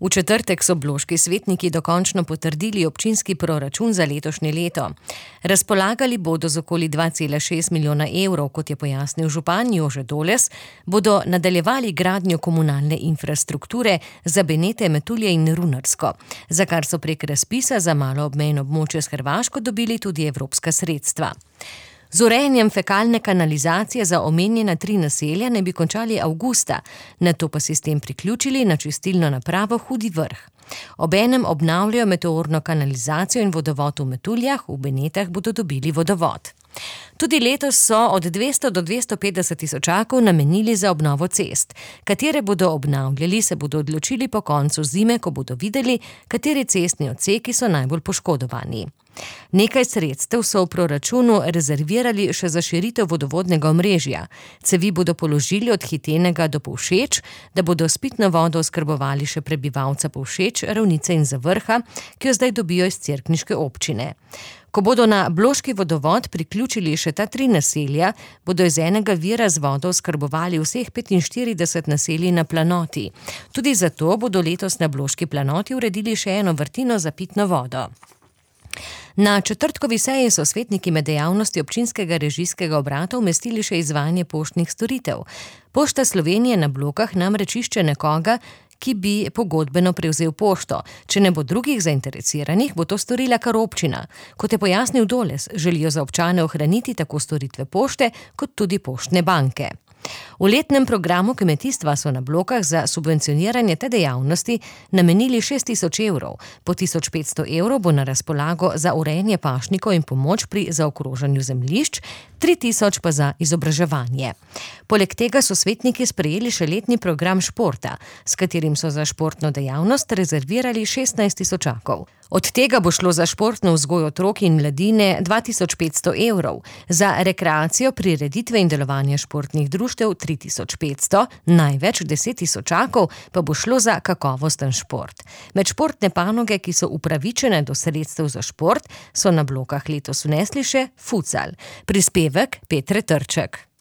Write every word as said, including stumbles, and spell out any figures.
V četrtek so bloški svetniki dokončno potrdili občinski proračun za letošnje leto. Razpolagali bodo z okoli dva cela šest milijona evrov, kot je pojasnil župan Jože Doles, bodo nadaljevali gradnjo komunalne infrastrukture za Benete, Metulje in Runarsko, za kar so prek razpisa za malo obmejno območje s Hrvaško dobili tudi evropska sredstva. Z urejanjem fekalne kanalizacije za omenjena tri naselja ne bi končali avgusta, nato pa sistem priključili na čistilno napravo Hudi Vrh. Obenem obnavljajo meteorno kanalizacijo in vodovod v Metuljah, v Benetah bodo dobili vodovod. Tudi letos so od dvesto do dvesto petdeset tisočakov namenili za obnovo cest. Katere bodo obnavljali, se bodo odločili po koncu zime, ko bodo videli, kateri cestni odseki so najbolj poškodovani. Nekaj sredstev so v proračunu rezervirali še za širitev vodovodnega omrežja. Cevi bodo položili od Hitenega do Povšeč, da bodo s pitno vodo oskrbovali še prebivalca Povšeč, Ravnice in Zavrha, ki jo zdaj dobijo iz cerkniške občine. Ko bodo na bloški vodovod priključili še ta tri naselja, bodo iz enega vira z vodo oskrbovali vseh petinštirideset naselij na planoti. Tudi zato bodo letos na bloški planoti uredili še eno vrtino za pitno vodo. Na četrtkovi seji so svetniki med dejavnosti občinskega režijskega obrata umestili še izvajanje poštnih storitev. Pošta Slovenije na Blokah namreč išče nekoga, ki bi pogodbeno prevzel pošto. Če ne bo drugih zainteresiranih, bo to storila kar občina. Kot je pojasnil Doles, želijo za občane ohraniti tako storitve pošte, kot tudi poštne banke. V letnem programu kmetijstva so na Blokah za subvencioniranje te dejavnosti namenili šest tisoč evrov. Po tisoč petsto evrov bo na razpolago za urejanje pašnikov in pomoč pri zaokrožanju zemljišč, tri tisoč pa za izobraževanje. Poleg tega so svetniki sprejeli še letni program športa, s katerim so za športno dejavnost rezervirali šestnajst tisočakov. Od tega bo šlo za športno vzgojo otrok in mladine dva tisoč petsto evrov, za rekreacijo, prireditve in delovanje športnih društev tri tisoč petsto, največ deset tisočakov pa bo šlo za kakovosten šport. Med športne panoge, ki so upravičene do sredstev za šport, so na Blokah letos vnesli še futsal. Prispevek Petre Trček.